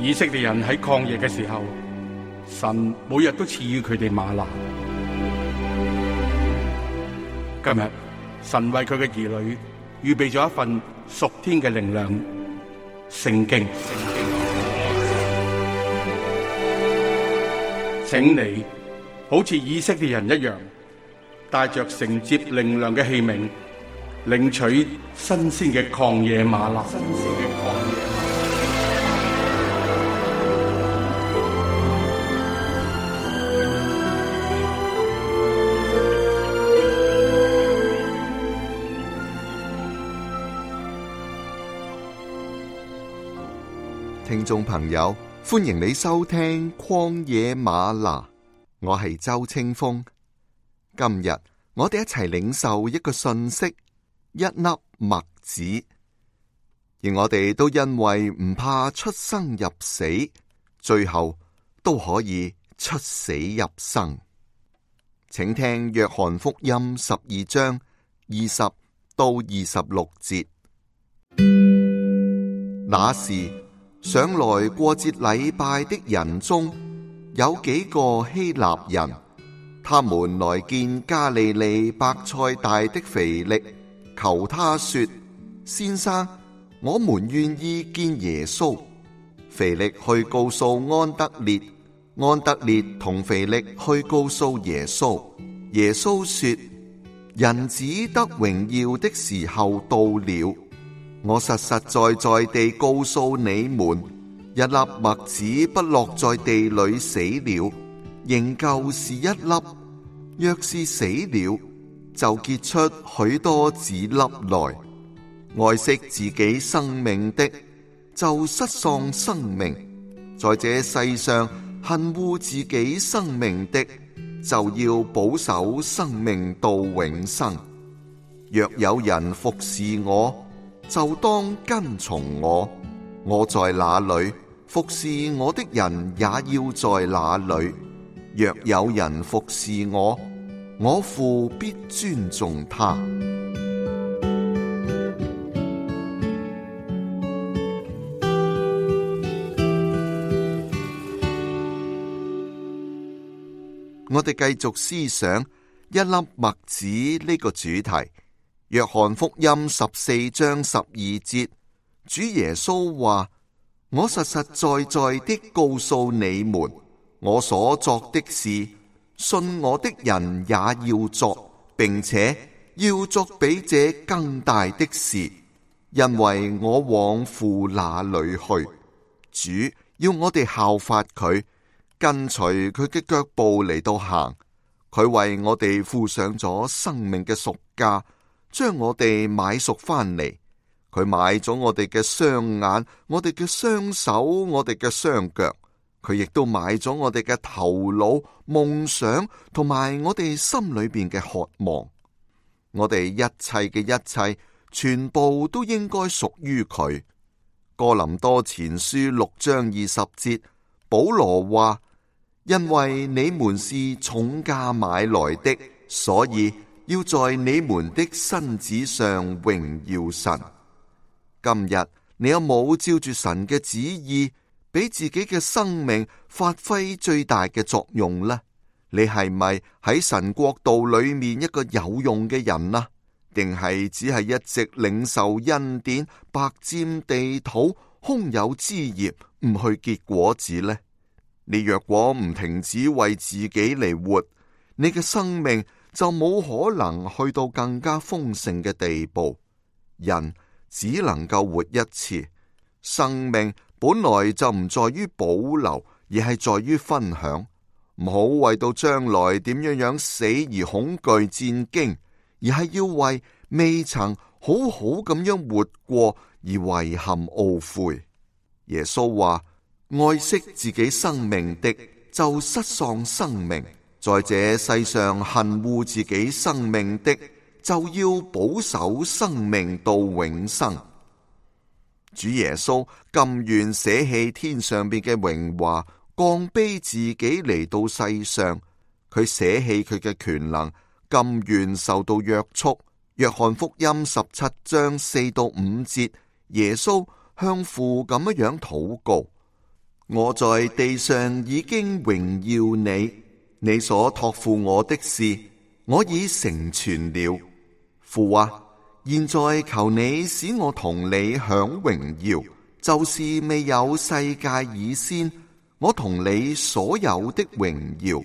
以色列人喺曠野嘅時候，神每日都賜予佢哋嗎哪。今日神為佢嘅兒女預備咗一份屬天嘅靈糧——聖經。請你好似以色列人一樣，帶着承接靈糧嘅器皿，領取新鮮嘅曠野嗎哪。聽眾朋友，歡迎你收聽曠野嗎哪，我係周清風。今日我哋一齊領受一個訊息，一粒麥子，而我哋都因為唔怕出生入死，最後都可以出死入生。請聽約翰福音12章20到26節。那時上來過節禮拜的人中有幾個希臘人，他們來見加利利伯賽大的腓力，求他說：先生，我們願意見耶穌。腓力去告訴安德烈，安德烈同腓力去告訴耶穌。耶穌說：人子得榮耀的時候到了。我實實在在地告訴你們，一粒麥子不落在地裏死了，仍舊是一粒；若是死了，就結出許多子粒來。愛惜自己生命的，就失喪生命；在這世上恨惡自己生命的，就要保守生命到永生。若有人服侍我，就當跟從我。我在哪裏，服侍我的人也要在哪裏。若有人服侍我，我父必尊重他。我哋繼續思想一粒麥子呢個主題。約翰福音14章12節，主耶穌話：我實實在在的告訴你們，我所作的事，信我的人也要作，並且要作比這更大的事，因為我往父那裏去。主要我哋效法佢，跟隨佢嘅腳步嚟到行。佢為我哋付上咗生命嘅贖價，將我哋買贖翻嚟。佢買咗我哋嘅雙眼，我哋嘅雙手，我哋嘅雙腳。佢亦都買咗我哋嘅頭腦、夢想同埋我哋心裏邊嘅渴望。我哋一切嘅一切，全部都應該屬於佢。哥林多前書6章20節，保羅話：因為你們是重價買來的，所以要在你們的身子上榮耀神。今日你有冇照住神嘅旨意，俾自己嘅生命發揮最大嘅作用呢？你係咪喺神國度裏面一個有用嘅人啊？定係只係一直領受恩典，白佔地土，空有枝葉，唔去結果子呢？你若果唔停止為自己嚟活，你嘅生命就冇可能去到更加豐盛嘅地步。人只能夠活一次，生命本來就唔在於保留，而係在於分享。唔好為到將來點樣死而恐懼戰驚，而係要為未曾好好咁樣活過而遺憾懊悔。耶穌話：愛惜自己生命的，就失喪生命；在這世上恨惡自己生命的，就要保守生命到永生。主耶穌甘願捨棄天上邊嘅榮華，降卑自己嚟到世上。佢捨棄佢嘅權能，甘願受到約束。約翰福音17章4到5節，耶穌向父咁樣禱告：我在地上已經榮耀你，你所託付我的事，我已成全了。父啊，現在求你使我同你享榮耀，就是未有世界以先，我同你所有的榮耀。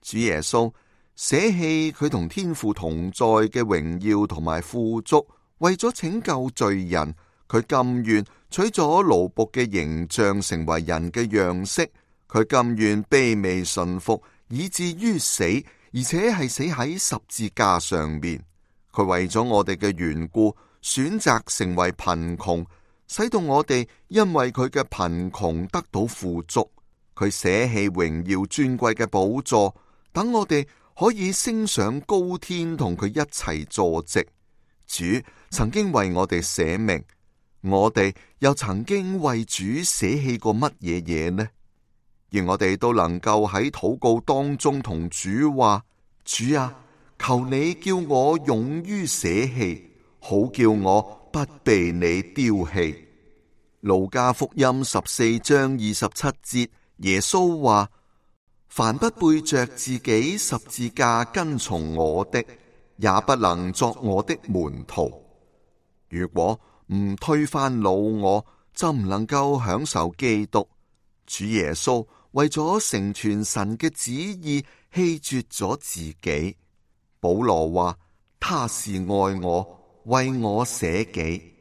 主耶穌捨棄佢同天父同在嘅榮耀同埋富足，為咗拯救罪人，佢甘願取咗奴僕嘅形象，成為人嘅樣式。佢甘願卑微順服，以至於死，而且係死喺十字架上面。佢為咗我哋嘅緣故，選擇成為貧窮，使到我哋因為佢嘅貧窮得到富足。佢捨棄榮耀尊貴嘅寶座，等我哋可以升上高天，同佢一齊坐席。主曾經為我哋捨命，我哋又曾經為主捨棄過乜嘢嘢呢？而我哋都能夠喺禱告當中同主話：主啊，求你叫我勇於捨棄，好叫我不被你丟棄。路加福音14章27節，耶穌話：凡不背着自己十字架跟從我的，也不能作我的門徒。如果唔推翻老我，就唔能夠享受基督。主耶穌為咗成全神嘅旨意，棄絕咗自己。保羅話：他是愛我，為我捨己。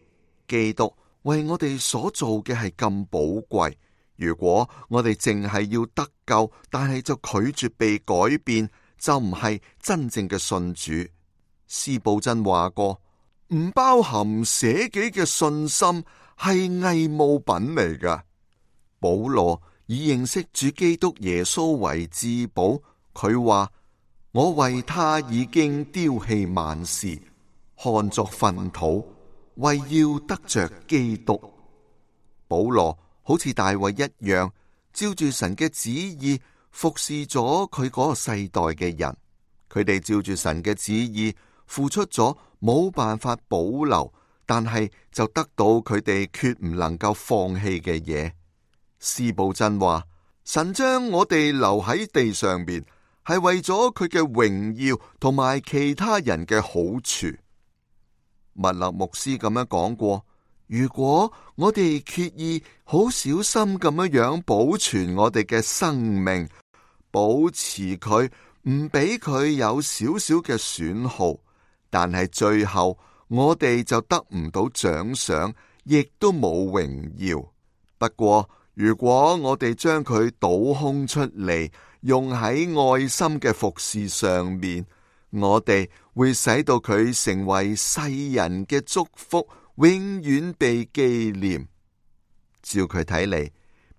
基督為我哋所做嘅係咁寶貴。如果我哋淨係要得救，但係就拒絕被改變，就唔係真正嘅信主。司布真話過：唔包含捨己嘅信心係偽冒品嚟噶。保羅以認識主基督耶穌為至寶，佢話：我為他已經丟棄萬事，看作糞土，為要得着基督。保羅好似大衛一樣，照住神嘅旨意服侍咗佢嗰個世代嘅人。佢哋照住神嘅旨意付出咗冇辦法保留，但係就得到佢哋決唔能夠放棄嘅嘢。司布真話：神將我哋留喺地上邊，係為咗佢嘅榮耀同埋其他人嘅好處。麥勒牧師咁樣講過：如果我哋決意好小心咁樣保存我哋嘅生命，保持佢，唔俾佢有少少嘅損耗，但係最後我哋就得唔到獎賞，亦都冇榮耀。不過如果我哋將佢倒空出嚟，用喺愛心嘅服侍上面，我哋會使到佢成為世人嘅祝福，永遠被紀念。照佢睇嚟，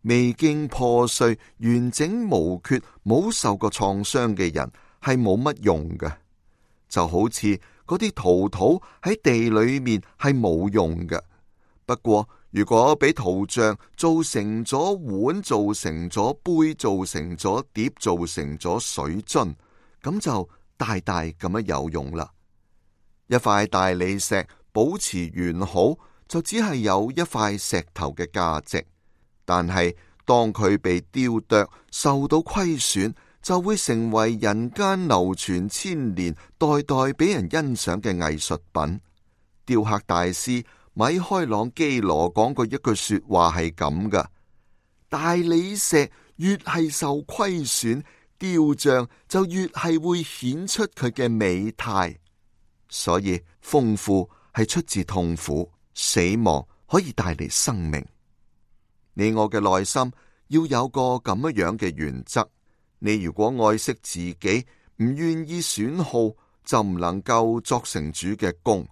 未經破碎、完整無缺、冇受過創傷嘅人係冇乜用嘅，就好似嗰啲陶土喺地裏面係冇用嘅。不過如果俾陶匠做成咗碗，做成咗杯，做成咗碟，做成咗水樽，咁就大大咁樣有用啦。一塊大理石保持完好，就只係有一塊石頭嘅價值，但係當佢被雕琢，受到虧損，就會成為人間流傳千年、代代俾人欣賞嘅藝術品。雕刻大師米開朗基羅講過一句說話係咁噶：大理石越係受虧損，雕像就越係會顯出佢嘅美態。所以豐富係出自痛苦，死亡可以帶嚟生命。你我嘅內心要有個咁樣嘅原則：你如果愛惜自己，唔願意損耗，就唔能夠作成主嘅工。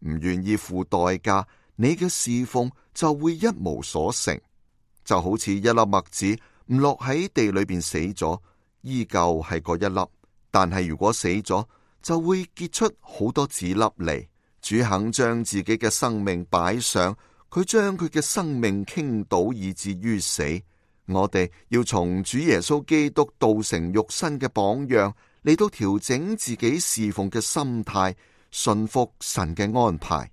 唔願意付代價，你嘅侍奉就會一無所成。就好似一粒麥子唔落喺地裏邊死咗，依舊係嗰一粒，但係如果死咗，就會結出好多子粒嚟。主肯將自己嘅生命擺上，佢將佢嘅生命傾倒以至於死。我哋要從主耶穌基督道成肉身嘅榜樣嚟到調整自己侍奉嘅心態，順服神嘅安排。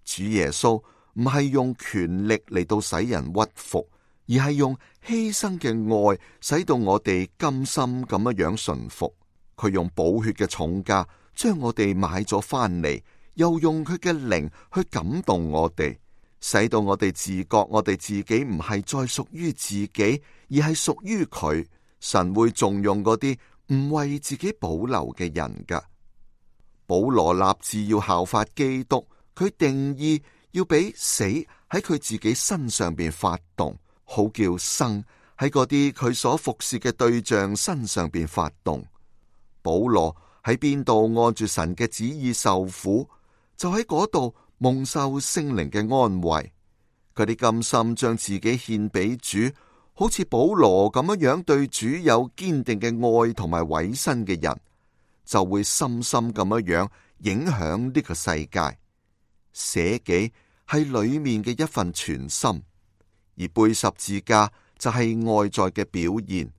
主耶穌唔係用權力嚟到使人屈服，而係用犧牲嘅愛，使到我哋甘心咁樣順服。佢用寶血嘅重價將我哋買咗翻嚟，又用佢嘅靈去感動我哋，使到我哋自覺我哋自己唔係再屬於自己，而係屬於佢。神會重用嗰啲唔為自己保留嘅人噶。保羅立志要效法基督，佢定義要俾死喺佢自己身上邊發動，好叫生喺嗰啲佢所服侍嘅對象身上邊發動。保羅喺邊度按住神嘅旨意受苦，就喺嗰度蒙受聖靈嘅安慰。佢哋甘心將自己獻俾主，好似保羅咁樣對主有堅定嘅愛同埋委身嘅人，就會深深咁樣影響呢個世界。捨己係裏面嘅一份全心，而背十字架就係外在嘅表現。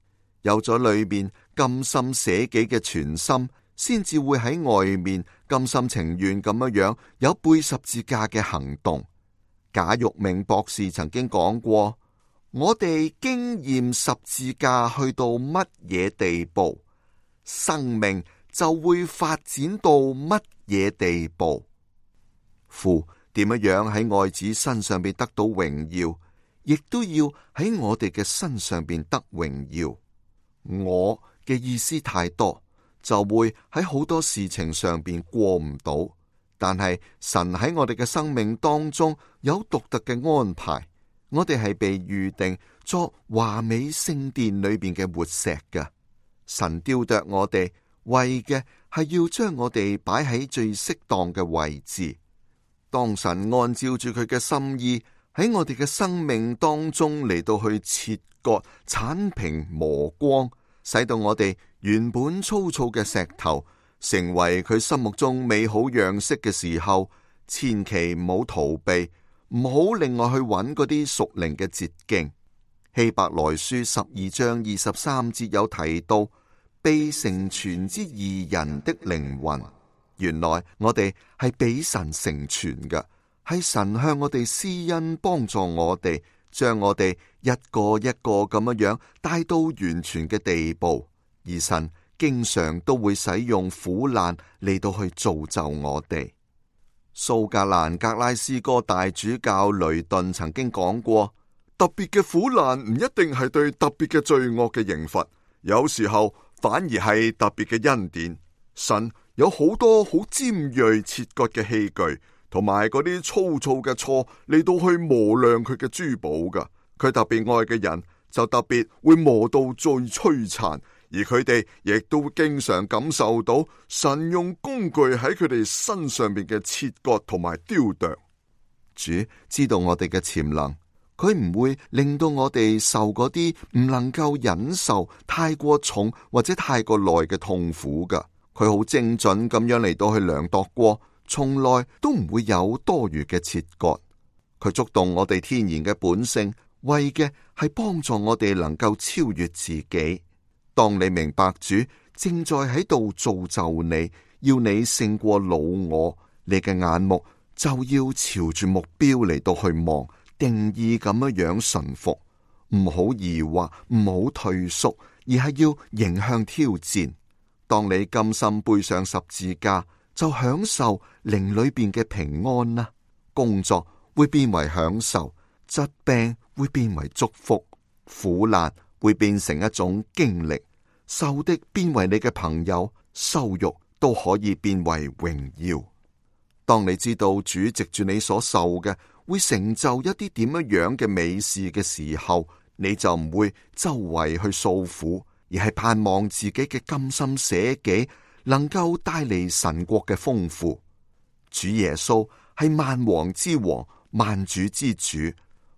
有咗裏面甘心捨己嘅全心，先至會喺外面甘心情願咁樣有背十字架嘅行動。賈玉明博士曾經講過，我哋經驗十字架去到乜嘢地步，生命就會發展到乜嘢地步。父點樣喺愛子身上邊得到榮耀，亦都要喺我哋嘅身上邊得榮耀。我嘅意思太多，就會喺好多事情上邊過唔到。但係神喺我哋嘅生命當中有獨特嘅安排，我哋係被預定作華美聖殿裏邊嘅活石嘅。神雕琢我哋，為嘅係要將我哋擺喺最適當嘅位置。當神按照住佢嘅心意喺我哋嘅生命當中嚟到去切割、鏟平、磨光，使到我哋原本粗糙嘅石頭成為佢心目中美好樣式嘅時候，千祈唔好逃避，唔好另外去揾嗰啲屬靈嘅捷徑。希伯來書12章23節有提到被成全之義人的靈魂。原來我哋係俾神成全嘅，係神向我哋施恩幫助我哋，將我哋一個一個咁樣帶到完全嘅地步。而神經常都會使用苦難嚟到去造就我哋。蘇格蘭格拉斯哥大主教雷頓曾經講過，特別嘅苦難唔一定係對特別嘅罪惡嘅刑罰，有時候反而係特別嘅恩典。神有好多好尖銳切割嘅器具，同埋嗰啲粗糙嘅錯嚟到去磨亮佢嘅珠寶噶。佢特別愛嘅人就特別會磨到最摧殘，而佢哋亦都經常感受到神用工具喺佢哋身上邊嘅切割同埋雕琢。主知道我哋嘅潛能，佢唔會令到我哋受嗰啲唔能夠忍受太過重或者太過耐嘅痛苦噶。佢好精準咁樣嚟到去量度過，從來都唔會有多餘嘅切割。佢觸動我哋天然嘅本性，為嘅係幫助我哋能夠超越自己。當你明白主正在喺度造就你，要你勝過老我，你嘅眼目就要朝住目標嚟到去望，定義咁樣順服，唔好疑惑，唔好退縮，而係要迎向挑戰。當你甘心背上十字架，就享受靈裏邊嘅平安啦。工作會變為享受，疾病會變為祝福，苦難會變成一種經歷，仇敵變為你嘅朋友，羞辱都可以變為榮耀。當你知道主藉住你所受嘅會成就一啲點樣嘅美事嘅時候，你就唔會周圍去訴苦，而係盼望自己嘅甘心捨己能夠帶嚟神國嘅豐富。主耶穌係萬王之王，萬主之主，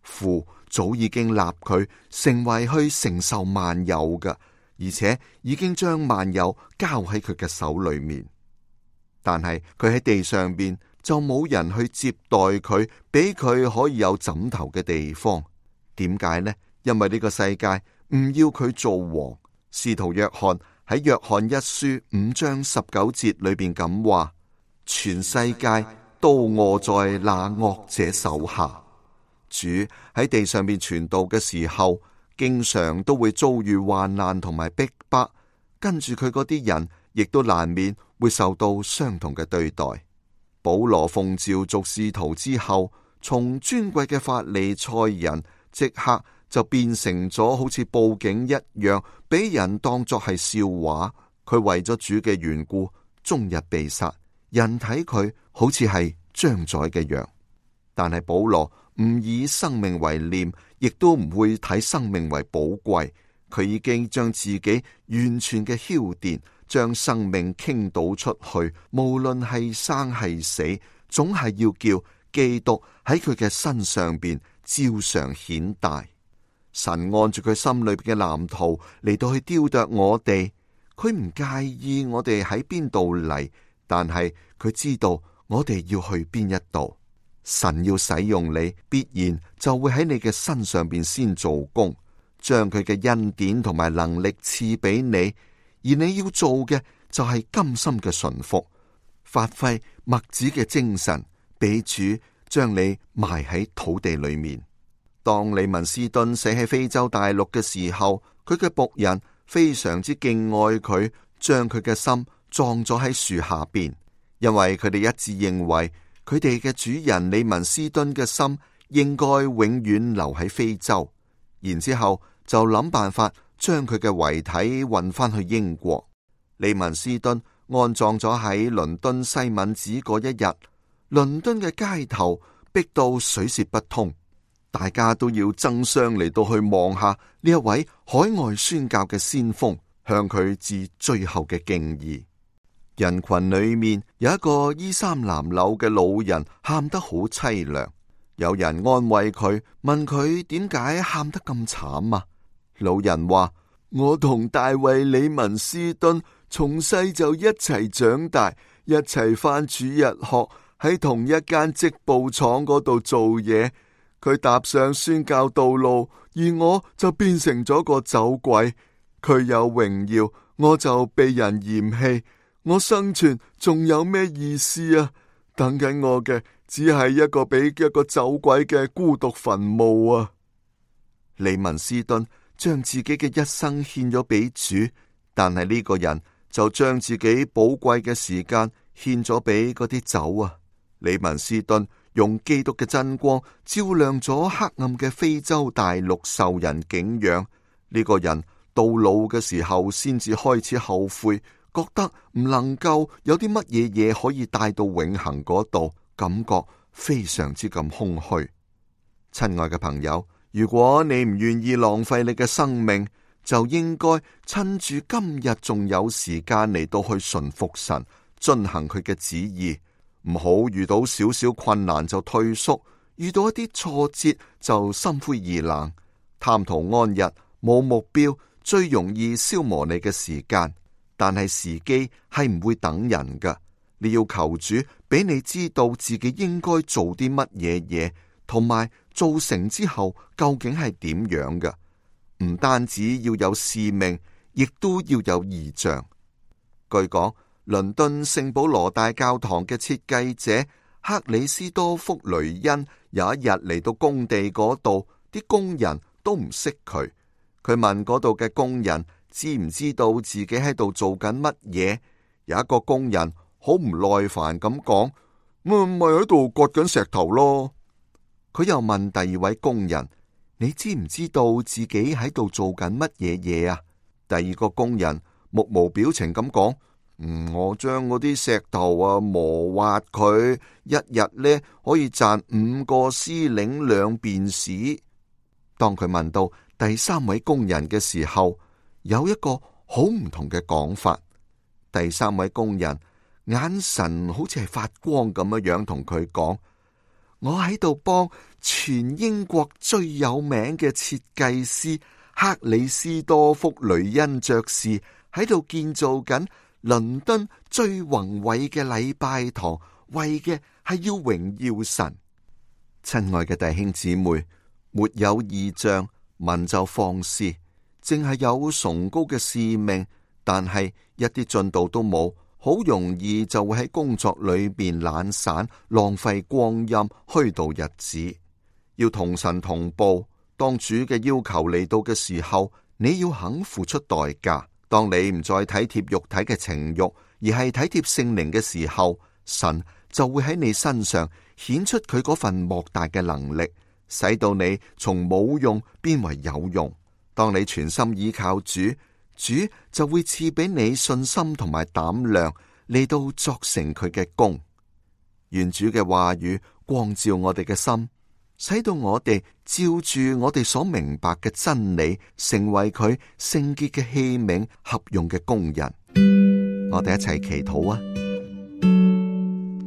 父早已經立佢成為去承受萬有嘅，而且已經將萬有交喺佢嘅手裏面。但係佢喺地上邊就冇人去接待佢，俾佢可以有枕頭嘅地方。點解呢？因為呢個世界唔要佢做王。使徒約翰喺約翰一書5章19節裏邊咁話：全世界都臥在那惡者手下。主喺地上面傳道嘅時候，經常都會遭遇患難同埋逼迫，跟住佢嗰啲人亦都難免會受到相同嘅對待。保羅奉召做使徒之後，從尊貴嘅法利賽人即刻就變成咗好似報警一樣，俾人當作係笑話。佢為咗主嘅緣故，終日被殺，人睇佢好似係將宰嘅羊。但係保羅唔以生命為念，亦都唔會睇生命為寶貴。佢已經將自己完全嘅澆奠，將生命傾倒出去，無論係生係死，總係要叫基督喺佢嘅身上邊照常顯大。神按住佢心裏邊嘅藍圖嚟到去雕琢我哋，佢唔介意我哋喺邊度嚟，但係佢知道我哋要去邊一度。神要使用你，必然就會喺你嘅身上邊先做工，將佢嘅恩典同埋能力賜俾你，而你要做嘅就係甘心嘅順服，發揮麥子嘅精神，俾主將你埋喺土地裏面。當利文斯頓死喺非洲大陸嘅時候，佢嘅僕人非常之敬愛佢，將佢嘅心葬咗喺樹下邊，因為佢哋一致認為佢哋嘅主人利文斯頓嘅心應該永遠留喺非洲，然之後就諗辦法將佢嘅遺體運翻去英國。利文斯頓安葬咗喺倫敦西敏寺嗰一日，倫敦嘅街頭逼到水泄不通，大家都要爭相嚟到去望下呢一位海外宣教嘅先鋒，向佢致最後嘅敬意。人群裏面有一個衣衫襤褸嘅老人，喊得好淒涼。有人安慰佢，問佢點解喊得咁慘啊？老人話：我同大衛李文斯頓從細就一齊長大，一齊返主日學，喺同一間織布廠嗰度做嘢。佢踏上宣教道路，而我就變成咗個走鬼。佢有榮耀，我就被人嫌棄。我生存仲有咩意思啊？等緊我嘅只係一個比一個走鬼嘅孤獨墳墓啊！利文斯頓將自己嘅一生獻咗俾主，但係呢個人就將自己寶貴嘅時間獻咗俾嗰啲酒啊！利文斯頓用基督嘅真光照亮咗黑暗嘅非洲大陸，受人敬仰。呢個人到老嘅時候先至開始後悔，覺得唔能夠有啲乜嘢嘢可以帶到永恆嗰度，感覺非常之咁空虛。親愛嘅朋友，如果你唔願意浪費你嘅生命，就應該趁住今日仲有時間嚟到去順服神，遵行佢嘅旨意，唔好遇到少少困難就退縮，遇到一啲挫折就心灰意冷，貪圖安逸，冇目標，最容易消磨你嘅時間。但係時機係唔會等人噶，你要求主俾你知道自己應該做啲乜嘢嘢，同埋做成之後究竟係點樣噶。唔單止要有使命，亦都要有異象。據講，倫敦聖保羅大教堂嘅設計者克里斯多福雷恩有一日嚟到工地嗰度，啲工人都唔識佢。佢問嗰度嘅工人知唔知道自己喺度做緊乜嘢？有一個工人好唔耐煩咁講：咪喺度割緊石頭咯。佢又問第二位工人：你知唔知道自己喺度做緊乜嘢嘢啊？第二個工人目無表情咁講：我將嗰啲石頭磨滑佢，一日呢可以賺5個司令2便士。當佢問到第三位工人嘅時候，有一個好唔同嘅講法。第三位工人眼神好似係發光咁樣同佢講：我喺度幫全英國最有名嘅設計師克里斯多福雷恩爵士喺度建造緊倫敦最宏偉嘅禮拜堂，為嘅係要榮耀神。親愛嘅弟兄姊妹，沒有異象，民就放肆，淨係有崇高嘅使命，但係一啲進度都冇，好容易就會喺工作裏邊懶散，浪費光陰，虛度日子。要同神同步。當主嘅要求嚟到嘅時候，你要肯付出代價。當你唔再體貼肉體嘅情慾，而係體貼聖靈嘅時候，神就會喺你身上顯出佢嗰份莫大嘅能力，使到你從冇用變為有用。當你全心依靠主，主就會賜俾你信心同埋膽量嚟到作成佢嘅功。願主嘅話語光照我哋嘅心，使到我哋照住我哋所明白嘅真理，成為佢聖潔嘅器皿，合用嘅工人。我哋一齊祈禱啊！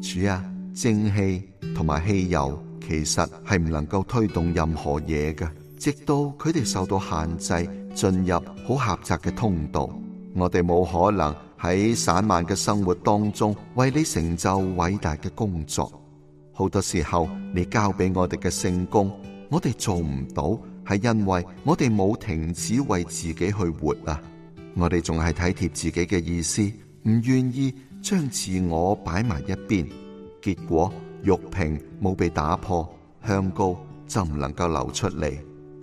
主啊，正氣同埋汽油其實係唔能夠推動任何嘢嘅，直到佢哋受到限制，進入好狹窄嘅通道。我哋冇可能喺散漫嘅生活當中為你成就偉大嘅工作。好多時候你交俾我哋嘅聖工，我哋做唔到，係因為我哋冇停止為自己去活啊！我哋仲係體貼自己嘅意思，唔願意將自我擺埋一邊，結果玉瓶冇被打破，香膏就唔能夠流出嚟。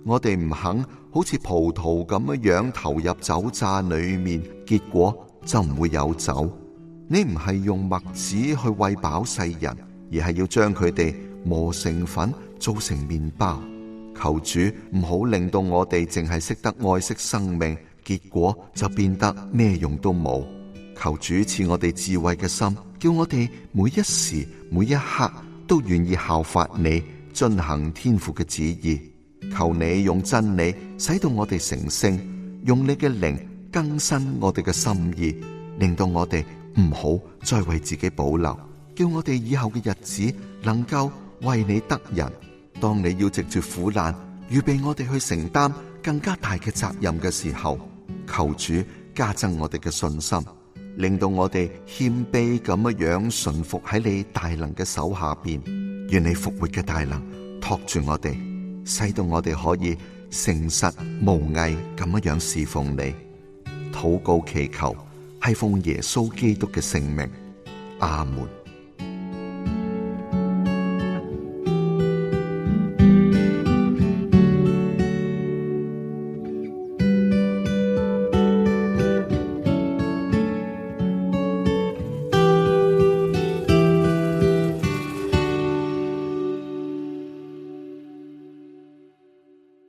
我哋唔肯好似葡萄咁樣投入酒榨裏面，結果就唔會有酒。你唔係用麥子去餵飽世人，而係要將佢哋磨成粉，做成麵包。求主唔好令到我哋淨係識得愛惜生命，結果就變得咩用都冇。求主賜我哋智慧嘅心，叫我哋每一時每一刻都願意效法你，遵行天父嘅旨意。求你用真理使到我哋成聖，用你嘅靈更新我哋嘅心意，令到我哋唔好再為自己保留，叫我哋以後嘅日子能夠為你得人。當你要藉住苦難預備我哋去承擔更加大嘅責任嘅時候，求主加增我哋嘅信心，令到我哋謙卑咁樣順服喺你大能嘅手下邊。願你復活嘅大能托住我哋，使到我哋可以誠實無偽咁樣侍奉你。禱告祈求係奉耶穌基督嘅聖名，阿門。